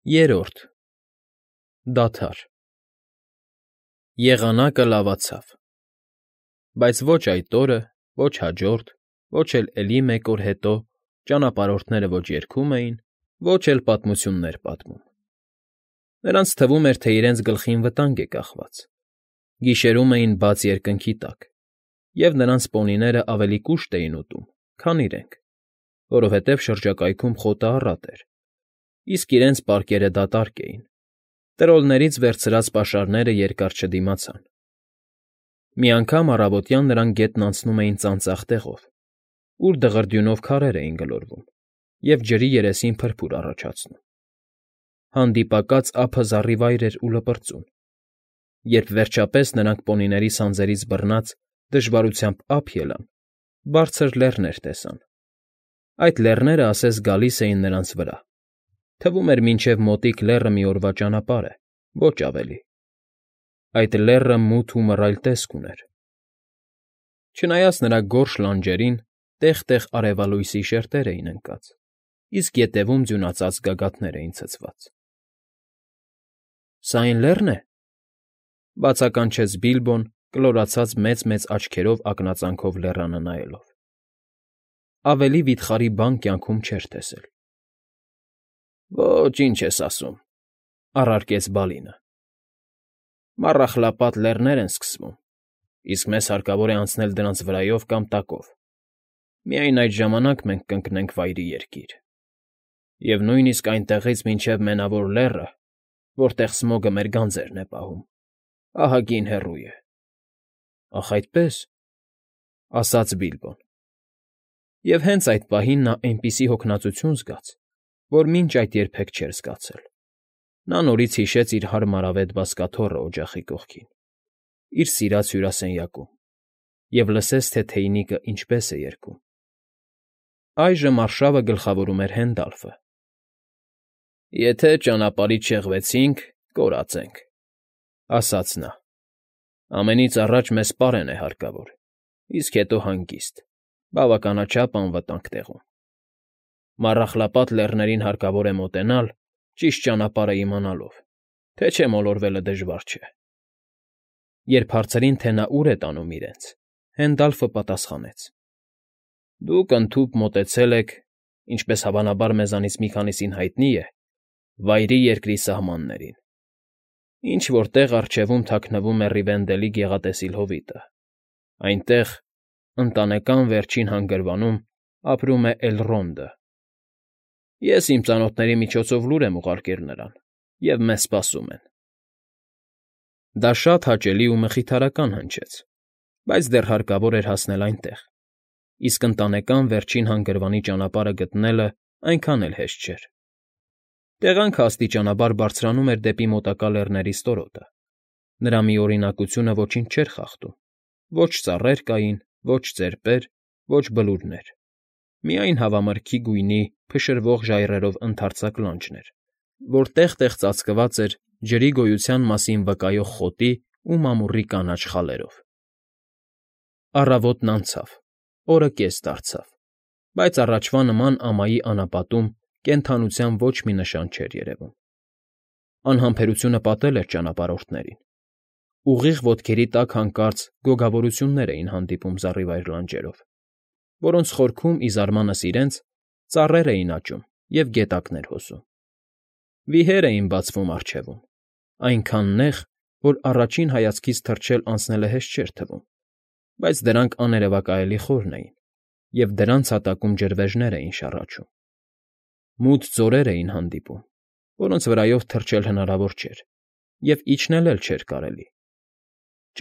Երրորդ ԴԱԴԱՐ Եղանակը լավացավ, բայց ոչ այդ օրը, ոչ հաջորդ, ոչ էլ էլի մեկ օր հետո ճանապարհորդները ոչ երգում էին, ոչ էլ պատմություններ պատմում. նրանց թվում էր, թե իրենց գլխին վտանգ է կախված, գիշերում էին բաց երկնքի տակ, և նրանց պոնիներն ավելի կուշտ էին ուտում, քան իրենք, որովհետև շրջակայքում խոտը առատ էր, իսկ իրենց պարկերը դատարկ էին, տրոլներից վերցրած պաշարները երկար չդիմացան. Մի անգամ առավոտյան նրանք գետն անցնում էին ծանծաղ տեղով, ուր դղրդյունով քարեր էին գլորվում և ջրի երեսին փրփուր առաջացնում. հանդիպակաց ափը զառիվայր էր ու լպրծուն. երբ վերջապես նրանք պոնիների սանձերից բռնած դժվարությամբ ափ ելան, բարձր լեռներ տեսան. այդ լեռներն ասես գալիս էին նրանց վրա, թվում էր մինչև մոտիկ լեռը մի օրվա ճանապարհ է, ոչ ավելի. այդ լեռը մութ ու մռայլ տեսք ուներ. չնայած նրա գորշ լանջերին տեղ֊տեղ արևալույսի շերտեր էին ընկած, իսկ ետևում ձյունածածկ գագաթներ էին ցցված։ ֊ Սա այն լե՞ռն է,֊ բացականչեց Բիլբոն, կլորացած մեծ֊մեծ աչքերով ակնածանով լեռանը նայելով. ավելի վիթխարի բան կյանքում չէր տեսել։ ֊ Ոչ, ինչ ես ասում,֊ առարկեց Բալինը,֊ Մառախլապատ Լեռներ են սկսվում, իսկ մեզ հարկավոր է անցնել դրանց վրայով կամ տակով. միայն այդ ժամանակ մենք կընկնենք Վայրի Երկիր, և նույնիսկ այնտեղից մինչև Մենավոր Լեռը, որտեղ Սմոգը մեր գանձերն է պահում, ահագին հեռու է։ ֊ Ախ այդպե՜ս,֊ ասաց Բիլբոն։ Եվ հենց այդ պահին նա այնպիսի հոգնածություն զգաց, որ մինչ այդ երբեք չէր զգացել. նա նորից հիշեց իր հարմարավետ բազկաթոռը օջախի կողքին, իր սիրած հյուրասենյակում, և լսեց, թե թեյնիկն ինչպես է երգում։ Այժմ արշավը գլխավորում էր Հենդալֆը։ ֊ Եթե ճանապարհից շեղվեցինք, կորած ենք,֊ ասաց նա,֊ ամենից առաջ մեզ պարեն է հարկավոր, իսկ հետո հանգիստ, բավականաչափ անվտանգ տեղում։ Մառախլապատ Լեռներին հարկավոր է մոտենալ, ճիշտ ճանապարհն իմանալով, թե չէ մոլորվելը դժվար չէ։ Երբ հարցրին, թե նա ուր է տանում իրենց, Հենդալֆը պատասխանեց. ֊ Դուք ընդհուպ մոտեցել եք, ինչպես հավանաբար մեզանից մի քանիսին հայտնի է, Վայրի Երկրի սահմաններին, ինչ֊որ տեղ առջևում թաքնվում է Ռիվենդելի գեղատեսիլ հովիտը, այնտեղ, Ընտանեկան Վերջին Հանգրվանում ապրում է Էլրոնդը։ Ես իմ ծանոթների միջոցով լուր եմ ուղարկել նրան, և մեզ սպասում են։ Դա շատ հաճելի ու մխիթարական հնչեց, բայց դեռ հարկավոր էր հասնել այնտեղ, իսկ Ընտանեկան Վերջին Հանգրվանի ճանապարհը գտնելն այնքան էլ հեշտ չէր։ Տեղանքը աստիճանաբար բարձրանում էր դեպի մոտակա լեռների ստորոտը, նրա միօրինակությունը ոչինչ չէր խախտում. ոչ ծառեր կային, ոչ ծեպեր, ոչ բլուրներ, միայն հավամրգի գույնի փշրվող ժայռերով ընդարձակ լանջն էր, որ տեղ֊տեղ ծածկված էր ջրի գոյության մասին վկայող խոտի ու մամուռի կանաչ խալերով։ Առավոտն անցավ, օրը կես դարձավ, բայց առաջվա նման ամայի անապատում կենդանության ոչ մի նշան չէր երևում։ Անհամբերությունը պատել էր ճանապարհորդներին։ Ուղիղ ոտքերի տակ հանկարծ գոգավորություններ էին հանդիպում զառիվայր լանջերով, որոնց խորքում, ի զարմանս իրենց, ծառեր էին աճում և գետակներ հոսում։ Վիհեր էին բացվում առջևում, այնքան նեղ, որ առաջին հայացքից թռչել անցնելը հեշտ չէր թվում, բայց դրանք աներևակայալի խորն էին, և դրանց հատակում ջրվեժներ էին շառաչում։ Մութ ձորեր էին հանդիպում, որոնց վրայով թռչել հնարավոր չէր, և իջնել էլ չէր կարելի։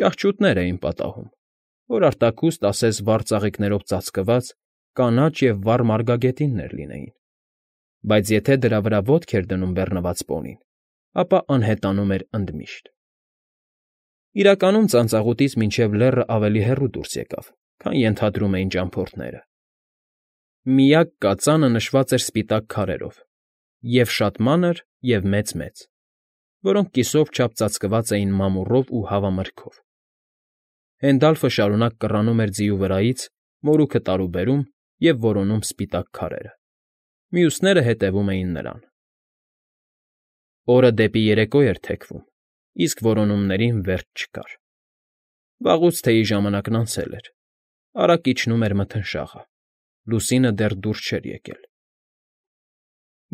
Ճահճուտներ էին պատահում, որ արտաքուստ ասես վառ ծաղիկներով ծածկված կանաչ և վառ մարգագետիններ լինեին, բայց եթե դրա վրա ոտք էր դնում բեռնված պոնին, ապա անհետանում էր ընդմիշտ։ Իրականում ծանծաղուտից մինչև լեռը ավելի հեռու դուրս եկավ, քան ենթադրում էին ճամփորդները։ Միակ կածանը նշված էր սպիտակ քարերով, և շատ մանր, և մեծ֊մեծ, որոնք կիսով չափ ծածկված էին մամուռով ու հավամրգով։ Հենդալֆը շարունակ կռանում էր ձիու վրայից, մորուքը տարուբերում և որոնում սպիտակ քարերը։ Մյուսները հետևում էին նրան։ Օրը դեպի երեկո էր թեքվում, իսկ որոնումներին վերջ չկար։ Վաղուց թեյի ժամանակն անցել էր, արագ իջնում էր մթնշաղը, լուսինը դեռ դուրս չէր եկել։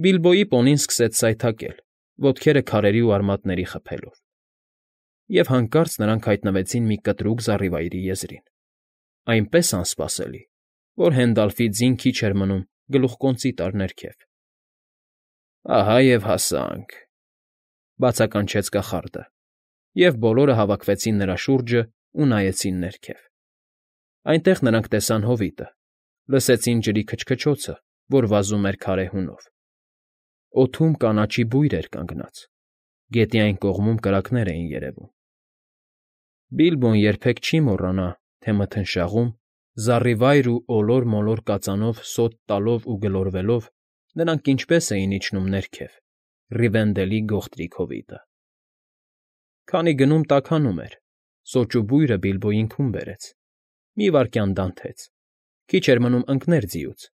Բիլբոյի պոնին սկսեց սայթաքել, ոտքերը քարերի ու արմատների խփելով, և հանկարծ նրանք հայտնվեցին մի կտրուկ զառիվայրի եզրին, այնպես անսպասելի, որ Հենդալֆի ձին քիչ էր մնում գլուխկոնծի տար ներքև։ «Ահա և հասանք», ֊ բացականչեց կախարդը, և բոլորը հավաքվեցին նրա շուրջն ու նայեցին ներքև։ Այնտեղ նրանք տեսան հովիտը, լսեցին ջրի քչքչոցը, որ վազում էր քարե հունով։ Օդում կանաչի բույր էր կանգնած, գետի այն կողմում կրակներ էին երևում։ Բիլբոն երբեք չի մոռանա, թե մթնշաղում, զառիվայր ու ոլոր֊մոլոր կածանով սոթ տալով ու գլորվելով, նրանք ինչպես էին իջնում ներքև, Ռիվենդելի գողտրիկ հովիտը։ Քանի գնում տաքանում էր, սոճու բույրը Բիլբոյին քուն բերեց, մի վայրկյան դանթեց, քիչ էր մնում ընկներ ձիուց,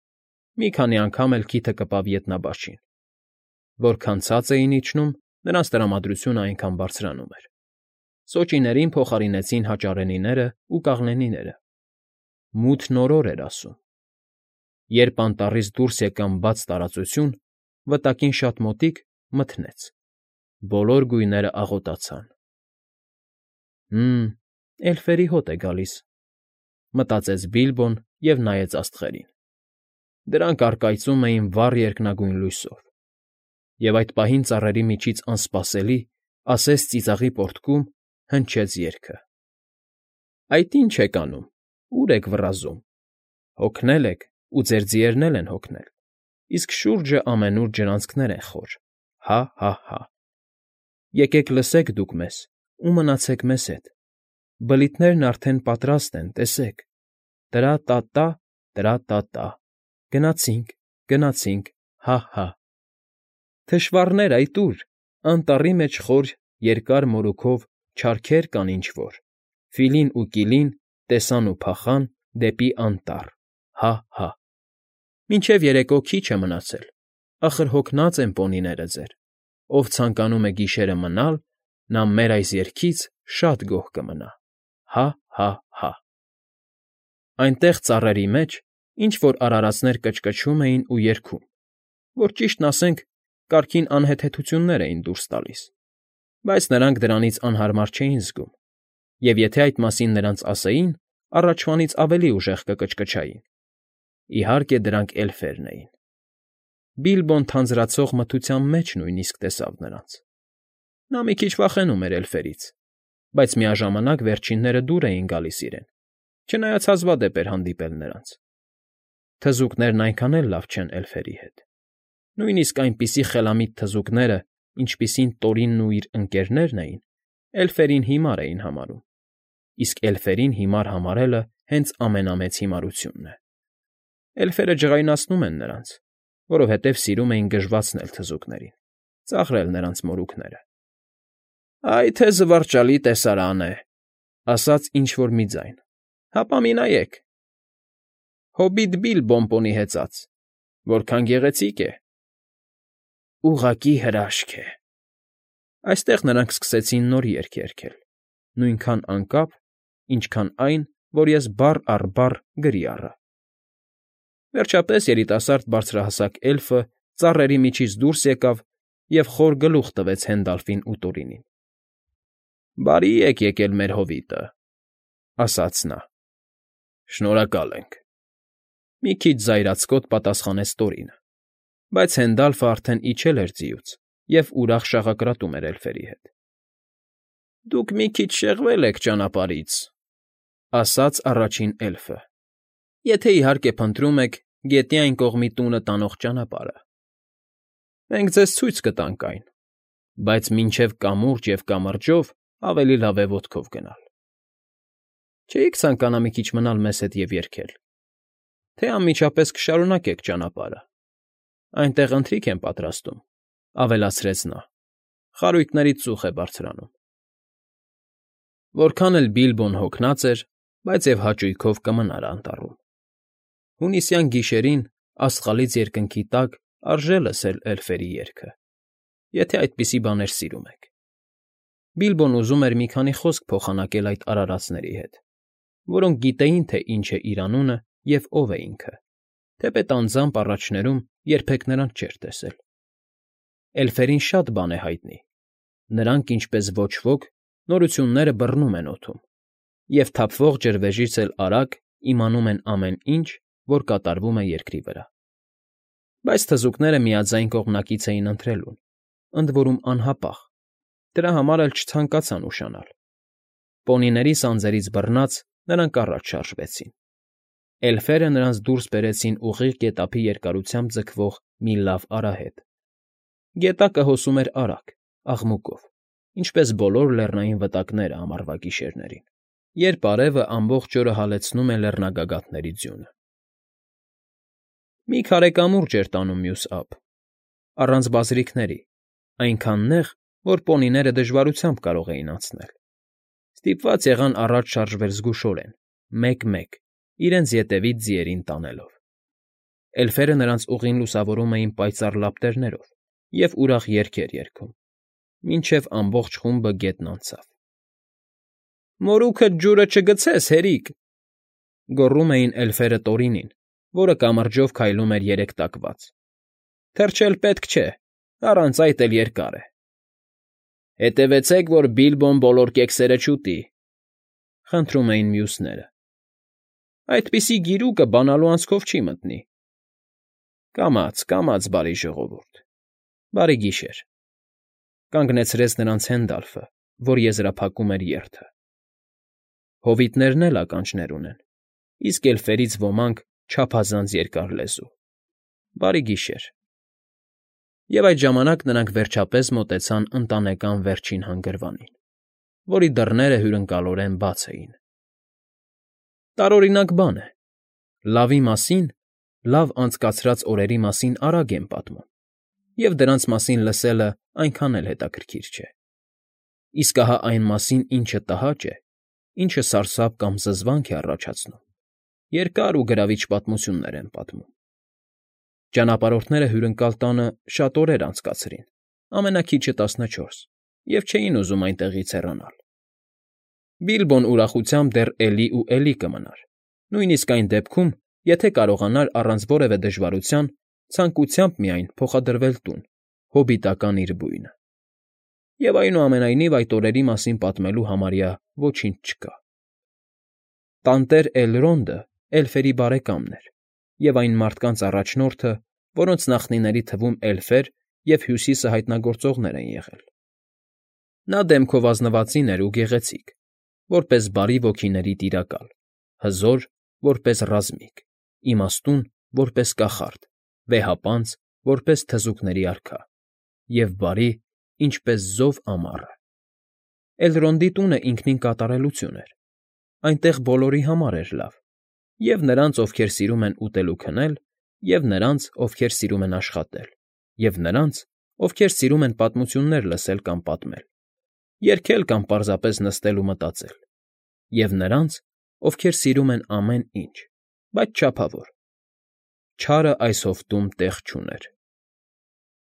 մի քանի անգամ էլ քիթը կպավ ետնաբաշին։ Որքան ցած էին իջնում, նրանց տրամադրությունը այնքան բարձրանում էր։ Սոճիներին փոխարինեցին հաճարենիներն ու կաղնիները։ Մութն օրոր էր ասում։ Երբ անտառից դուրս եկան բաց տարածություն, վտակին շատ մոտիկ, մթնեց։ Բոլոր գույները աղոտացան։ Էլֆերի հոտ է գալիս, մտածեց Բիլբոն և նայեց աստղերին։ Դրանք առկայծում էին վառ երկնագույն լույսով։ Եվ այդ պահին ծառերի միջից անսպասելի, ասես ծիծաղի պոռթկում, հնչեց երգը. «Այդ ի՞նչ եք անում, ուր եք վռազում, հոգնել եք, ու ձեր ձիերն էլ են հոգնել, իսկ շուրջը ամենուր ջրանցքներ են խոր, հա՛֊հա՛֊հա՛։ Եկեք լսեք դուք մեզ ու մնացեք մեզ հետ, բլիթներն արդեն պատրաստ են, տեսեք, տրա՛֊տա՛֊տա, տրա՛֊տա՛֊տա, գնացինք, գնացինք, հա՛֊հա՛։ Թշվառներ, այդ ուր, անտառի մեջ խոր երկար մորուքով չարքեր կան ինչ֊որ, Ֆիլին ու Կիլին տեսան ու փախան դեպի անտառ, հա՛֊հա՛։ Մինչև երեկո քիչ է մնացել, ախր հոգնած են պոնիները ձեր, ով ցանկանում է գիշերը մնալ, նա մեր այս երգից շատ գոհ կմնա, հա՛֊հա՛֊հա՛։ Այնտեղ ծառերի մեջ ինչ֊որ արարածներ կչկչում էին ու երգում, որ, ճիշտն ասենք, կարգին անհեթեթություններ էին դուրս տալիս, բայց նրանք դրանից անհարմար չէին զգում, և եթե այդ մասին նրանց ասեին, առաջվանից ավելի ուժեղ կկչկչային։ Իհարկե, դրանք էլֆերն էին։ Բիլբոն թանձրացող մթության մեջ նույնիսկ տեսավ նրանց։ Նա մի քիչ վախենում էր էլֆերից, բայց միաժամանակ վերջինները դուր էին գալիս իրեն, չնայած հազվադեպ էր հանդիպել նրանց։ Թզուկներն այնքան էլ լավ չեն էլֆերի հետ։ Նույնիսկ այնպիսի խելամիտ թզուկները, ինչպիսին Տորինն ու իր ընկերներն էին, էլֆերին հիմար էին համարում, իսկ էլֆերին հիմար համարելը հենց ամենամեծ հիմարությունն է։ Էլֆերը ջղայնացնում են նրանց, որովհետև սիրում էին գժվացնել թզուկներին, ծաղրել նրանց մորուքները։ «Այ թե զվարճալի տեսարան է», ֊ ասաց ինչ֊որ մի ձայն։ «Հապա մի նայեք… Հոբիտ Բիլբոն պոնի հեծած… Որքան գեղեցիկ է»։ «Ուղղակի հրաշք է»։ Այստեղ նրանք սկսեցին նոր երգ երգել, նույնքան անկապ, ինչքան այն, որ ես բառ առ բառ գրի առա։ Վերջապես երիտասարդ բարձրահասակ էլֆը ծառերի միջից դուրս եկավ և խոր գլուխ տվեց Հենդալֆին ու Տորինին։ «Բարի եք եկել մեր հովիտը», ֊ ասաց նա։ «Շնորհակալ ենք», ֊ մի քիչ զայրացկոտ պատասխանեց Տորինը, բայց Հենդալֆը արդեն իջել էր ձիուց և ուրախ շաղակրատում էր էլֆերի հետ։ «Դուք մի քիչ շեղվել եք ճանապարհից», ֊ ասաց առաջին էլֆը, «եթե, իհարկե, փնտրում եք գետի այն կողմի տունը տանող ճանապարհը։ Մենք ձեզ ցույց կտանք այն, բայց մինչև կամուրջ և կամրջով ավելի լավ է ոտքով գնալ։ Չէի՞ք ցանկանա մի քիչ մնալ մեզ հետ և երգել, թե անմիջապես կշարունակեք ճանապարհը։ Այնտեղ ընթրիք են պատրաստում», ֊ ավելացրեց նա, «խարույկներից ծուխ է բարձրանում»։ Որքան էլ Բիլբոն հոգնած էր, բայց և հաճույքով կմնար անտառում։ Հունիսյան գիշերին աստղալից երկնքի տակ արժե լսել էլֆերի երգը։ եթե այդպիսի բաներ սիրում եք։ Բիլբոն ուզում էր մի քանի խոսք փոխանակել այդ արարածների հետ, որոնք գիտեին, թե ինչ է իր անունը և ով է ինքը, թեպետ անձամբ առաջներում երբեք նրան չէր տեսել։ Էլֆերին շատ բան է հայտնի. նրանք, ինչպես ոչ ոք, նորությունները բռնում են օդում, և թափվող ջրվեժից էլ արագ իմանում են ամեն ինչ, որ կատարվում է երկրի վրա։ Բայց թզուկները միաձայն կողմնակից էին ընթրելուն, ընդ որում անհապաղ, դրա համար էլ չցանկացան ուշանալ։ Պոնիների սանձերից բռնած՝ նրանք առաջ շարժվեցին։ Էլֆերը նրանց դուրս բերեցին ուղիղ գետափի երկարությամբ ձգվող մի լավ արահետ։ Գետակը հոսում էր արագ, աղմուկով, ինչպես բոլոր լեռնային վտակները ամառվա գիշերներին, երբ արևը ամբողջ օրը հալեցնում է լեռնագագաթների ձյունը։ Մի քարե կամուրջ էր տանում մյուս ափ, առանց բազրիքների, այնքան նեղ, որ պոնիները դժվարությամբ կարող էին անցնել։ Ստիպված եղան առաջ շարժվել զգուշորեն, մեկ֊մեկ, իրենց ետևից ձիերին տանելով։ Էլֆերը նրանց ուղին լուսավորում էին պայծառ լապտերներով և ուրախ երգեր երգում, մինչև ամբողջ խումբը գետն անցավ։ «Մորուքդ ջուրը չգցես, հերիկ», գոռում էին էլֆերը Տորինին, որը կամրջով քայլում էր երեքտակված։ «Թրջել պետք չէ, առանց այդ էլ երկար է»։ «Հետևեցեք, որ Բիլբոն բոլոր կեքսերը չուտի», խնդրում էին մյուսները։ «Այդպիսի գիրուկը բանալու անցքով չի մտնի»։ «Կամաց, կամաց, բարի ժողովուրդ, բարի գիշեր», կանգնեցրեց նրանց Հենդալֆը, որ եզրափակում էր երթը։ Հովիտներն էլ ականջներ ունեն, իսկ էլֆերից ոմանք՝ չափազանց երկար լեզու։ Բարի գիշեր։ Եվ այդ ժամանակ նրանք վերջապես մոտեցան ընտանեկան վերջին հանգրվանին, որի դռները հյուրընկալորեն բաց էին։ Տարօրինակ բան է. լավի մասին, լավ անցկացրած օրերի մասին արագ են պատմում, և դրանց մասին լսելը այնքան էլ հետաքրքիր չէ։ Իսկ ահա այն մասին, ինչը տհաճ է, ինչը սարսափ կամ զզվանք է առաջացնում, երկար ու գրավիչ պատմություններ են պատմում։ Ճանապարհորդները հյուրընկալ տանը շատ օրեր անցկացրին, ամենաքիչը 14, և չէին ուզում այնտեղից հեռանալ։ Բիլբոն ուրախությամբ դեռ էլի ու էլի կմնար, նույնիսկ այն դեպքում, եթե կարողանար առանց որևէ դժվարության ցանկությամբ միայն փոխադրվել տուն, հոբիտական իր բույնը։ Եվ այնուամենայնիվ այդ օրերի մասին պատմելու համարյա ոչինչ չկա։ Տանտեր Էլրոնդը էլֆերի բարեկամն էր և այն մարդկանց առաջնորդը, որոնց նախնիների թվում էլֆեր և Հյուսիսը հայտնագործողներ են եղել։ Նա դեմքով ազնվածին էր ու գեղեցիկ, որպես բարի ոգիների տիրակալ, հզոր, որպես ռազմիկ, իմաստուն, որպես կախարդ, վեհապանծ, որպես թզուկների արքա, և բարի, ինչպես զով ամառը։ Էլրոնդի տունը ինքնին կատարելություն էր, այնտեղ բոլորի համար էր լավ, և նրանց, ովքեր սիրում են ուտել ու քնել, և նրանց, ովքեր սիրում են աշխատել, և նրանց, ովքեր սիրում են պատմություններ լսել կամ պատմել, երգել կամ պարզապես նստել ու մտածել, և նրանց, ովքեր սիրում են ամեն ինչ, բայց չափավոր։ Չարը այս հովտում տեղ չուներ։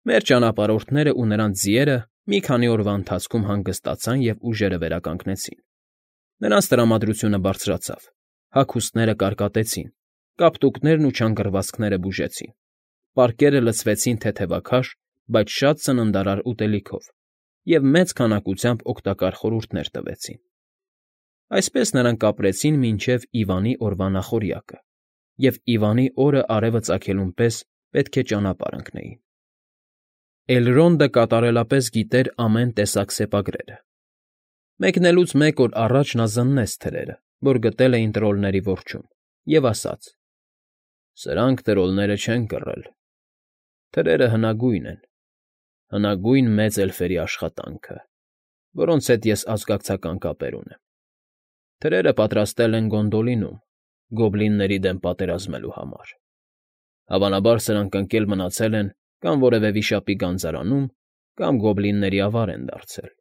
Մեր ճանապարհորդներն ու նրանց ձիերը մի քանի օրվա ընթացքում հանգստացան և ուժերը վերականգնեցին։ Նրանց տրամադրությունը բարձրացավ, հագուստները կարկատեցին, կապտուկներն ու չանգռվածքները բուժեցին, պարկերը լցվեցին թեթևաքաշ, բայց շատ սննդարար ուտելիքով և մեծ քանակությամբ օգտակար խորհուրդներ տվեցին։ Այսպես նրանք ապրեցին մինչև Իվանի օրվա նախօրյակը, և Իվանի օրը արևը ծագելուն պես պետք է ճանապարհ ընկնեին։ Էլրոնդը կատարելապես գիտեր ամեն տեսակ սեպագրերը։ Մեկնելուց մեկ օր առաջ նա զննեց թրերը, որ գտել էին տրոլների որջում, և ասաց. «Սրանք տրոլները չեն կռել։ Թրերը հնագույն են, հնագույն մեծ էլֆերի աշխատանքը, որոնց հետ ես ազգակցական կապեր ունեմ։ Թրերը պատրաստել են Գոնդոլինում, գոբլինների դեմ պատերազմելու համար։ Հավանաբար սրանք ընկել մնացել են կամ որևէ վիշապի գանձարանում, կամ գոբլինների ավար են դարձել,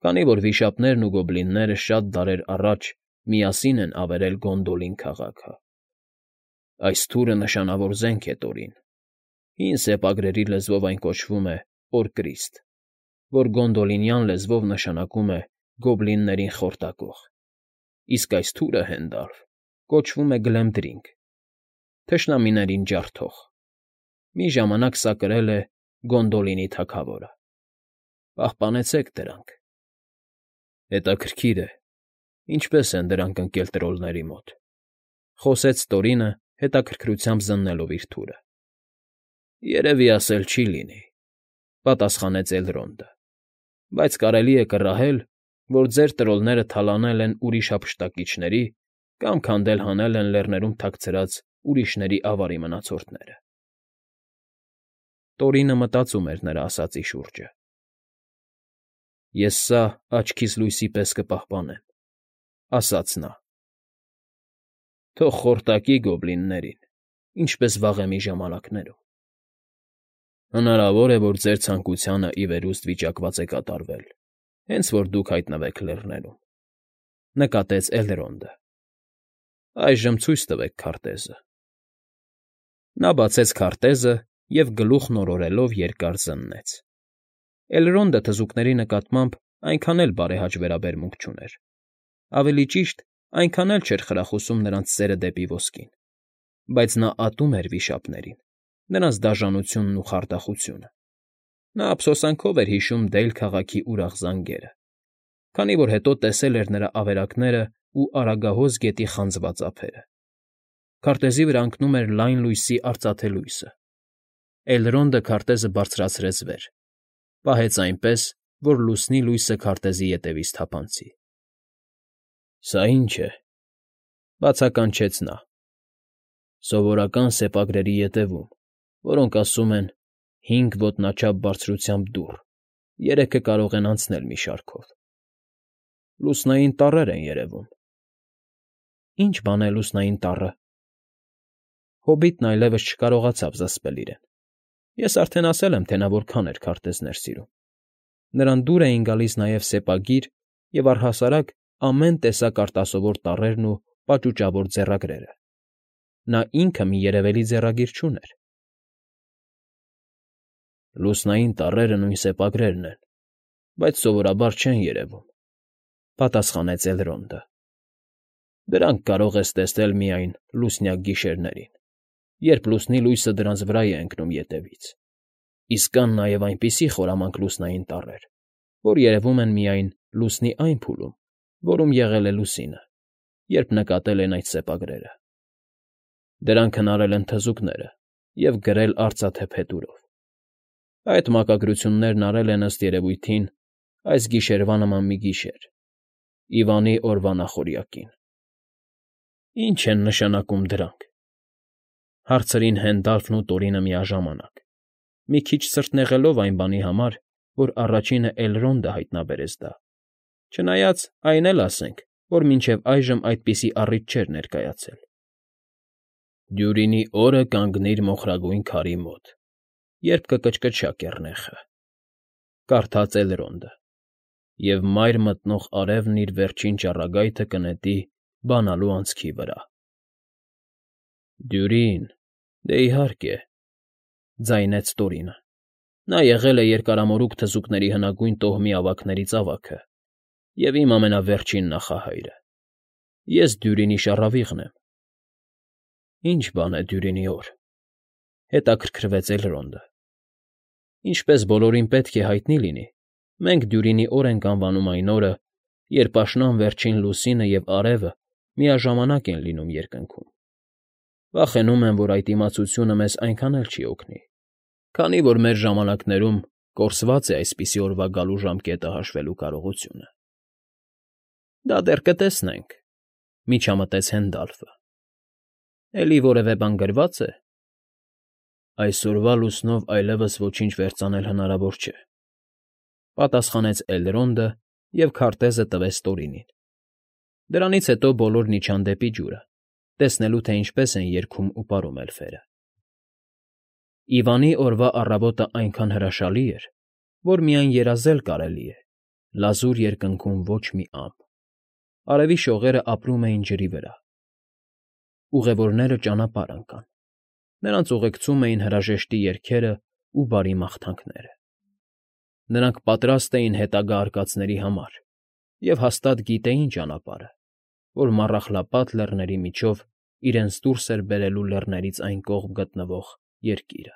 քանի որ վիշապներն ու գոբլինները շատ դարեր առաջ միասին են ավերել Գոնդոլին քաղաքը։ Այս թուրը նշանավոր զենք է, Տորին, հին սեպագրերի լեզվով այն կոչվում է Օրկրիստ, որ գոնդոլինյան լեզվով նշանակում է գոբլիններին խորտակող, իսկ այս թուրը, Հենդալֆ, կոչվում է Գլեմդրինգ, թշնամիներին ջարդող. մի ժամանակ սա կրել է Գոնդոլինի թագավորը։ Պահպանեցեք դրանք։ Հետաքրքիր է, ինչպես են դրանք ընկել տրոլների մոտ,֊ խոսեց Տորինը, հետաքրքրությամբ զննելով իր թուրը։ Երևի ասել չի լինի,֊ պատասխանեց Էլրոնդը,֊ բայց կարելի է կռահել, որ ձեր տրոլները թալանել են ուրիշ հափշտակիչների կամ քանդել հանել են լեռներում թաքցրած ուրիշների ավարի մնացորդները։ Տորինը մտածում էր նրա ասածի շուրջը։ Ես սա աչքիս լույսի պես կպահպանեմ,֊ ասաց նա։ Թող խորտակի գոբլիններին, ինչպես վաղեմի ժամանակներում։ Հնարավոր է, որ ձեր ցանկությանը ի վերուստ վիճակված է կատարվել, հենց որ դուք հայտնվեք լեռներում,֊ նկատեց Էլրոնդը։ Այժմ ցույց տվեք քարտեզը։ Նա բացեց քարտեզը և գլուխն օրորելով երկար զննեց։ Էլրոնդը թզուկների նկատմամբ այնքան էլ բարեհաճ վերաբերմունք չուներ։ Ավելի ճիշտ, այնքան էլ չէր խրախուսում նրանց սերը դեպի ոսկին, բայց նա ատում էր վիշապներին, նրանց դաժանությունն ու խարդախությունը։ Նա ափսոսանքով էր հիշում Դեյլ քաղաքի ուրախ զանգերը, քանի որ հետո տեսել էր նրա ավերակներն ու Արագահոս գետի խանձված ափերը։ Քարտեզի վրա ընկնում էր լայն լույսի արծաթե լույսը։ Էլրոնդը քարտեզը բարձրացրեց վեր, պահեց այնպես, որ լուսնի լույսը քարտեզի ետևից թափանցի։ Սա ի՞նչ է,֊ բացականչեց նա։ Սովորական սեպագրերի ետևում, որոնք ասում են 5 ոտնաչափ բարձրությամբ դուռ, 3-ը կարող են անցնել մի շարքով։ Լուսնային տառեր են երևում։ Ի՞նչ բան է լուսնային տառը։ Հոբիտն այլևս չկարողացավ զսպել իրեն։ Ես արդեն ասել եմ, թե նա որքան էր քարտեզներ սիրում։ Նրան դուր էին գալիս նաև սեպագիր և առհասարակ ամեն տեսակ արտասովոր տառերն ու պաճուճավոր ձեռագրերը։ Նա ինքը մի երևելի ձեռագիր չուներ։ Լուսնային տառերը նույն սեպագրերն են, բայց սովորաբար չեն երևում,֊ պատասխանեց Էլրոնդը։ Դրանք կարող ես տեսնել միայն լուսնյակ գիշերներին, երբ լուսնի լույսը դրանց վրա է ընկնում ետևից, իսկ կան նաև այնպիսի խորամանկ լուսնային տառեր, որ երևում են միայն լուսնի այն փուլում, որում եղել է լուսինը, երբ նկատել են այդ սեպագրերը։ Դրանք հնարել են թզուկները և գրել արծաթե փետուրով։ Այդ մակագրություններն արել են ըստ երևույթին այս գիշերվա նման մի գիշեր, Իվանի օրվա նախօրյակին։ Ի՞նչ են նշանակում դրանք,֊ հարցրին Հենդալֆն ու Տորինը միաժամանակ, մի քիչ սրտնեղելով այն բանի համար, որ առաջինը Էլրոնդը հայտնաբերեց դա, չնայած այն էլ ասենք, որ մինչև այժմ այդպիսի առիթ չէր ներկայացել։ Դյուրինի օրը կանգնիր մոխրագույն քարի մոտ, երբ կկչկչա կեռնեխը,֊ կարդաց Էլրոնդը,֊ և մայր մտնող արևն իր վերջին ճառագայթը կնետի բանալու անցքի վրա։ Դյուրին, դե իհարկե,֊ ձայնեց Տորինը։ Նա եղել է Երկարամորուք թզուկների հնագույն տոհմի ավագներից ավագը և իմ ամենավերջին նախահայրը։ Ես Դյուրինի շառավիղն եմ։ Ի՞նչ բան է Դյուրինի օր,֊ հետաքրքրվեց Էլրոնդը։ Ինչպես բոլորին պետք է հայտնի լինի, մենք Դյուրինի օր ենք անվանում այն օրը, երբ աշնան վերջին լուսինը և արևը միաժամանակ են լինում երկնքում։ Վախենում եմ, որ այդ իմացությունը մեզ այնքան էլ չի օգնի, քանի որ մեր ժամանակներում կորսված է այսպիսի օրվա գալու ժամկետը հաշվելու կարողությունը։ Դա դեռ կտեսնենք,֊ միջամտեց Հենդալֆը։ Էլի որևէ բան գրվա՞ծ է։ Այսօրվա լուսնով այլևս ոչինչ վերծանել հնարավոր չէ,֊ պատասխանեց Էլրոնդը և քարտեզը տվեց Տորինին։ Դրանից հետո բոլորն իջան դեպի ջուրը, տեսնելու, թե ինչպես են երգում ու պարում էլֆերը։ Իվանի օրվա առավոտը այնքան հրաշալի էր, որ միայն երազել կարելի է, լազուր երկնքում ոչ մի ամպ։ Արևի շողերը ապրում էին ջրի վրա։ Ուղևորները ճանապարհ ընկան։ Նրանց ուղեկցում էին հրաժեշտի երգերն ու բարի մաղթանքները։ Նրանք պատրաստ էին հետագա արկածների համար և հաստատ գիտեին ճանապարհը, որ Մառախլապատ Լեռների միջով իրենց դուրս էր բերելու լեռներից այն կողմ գտնվող երկիրը։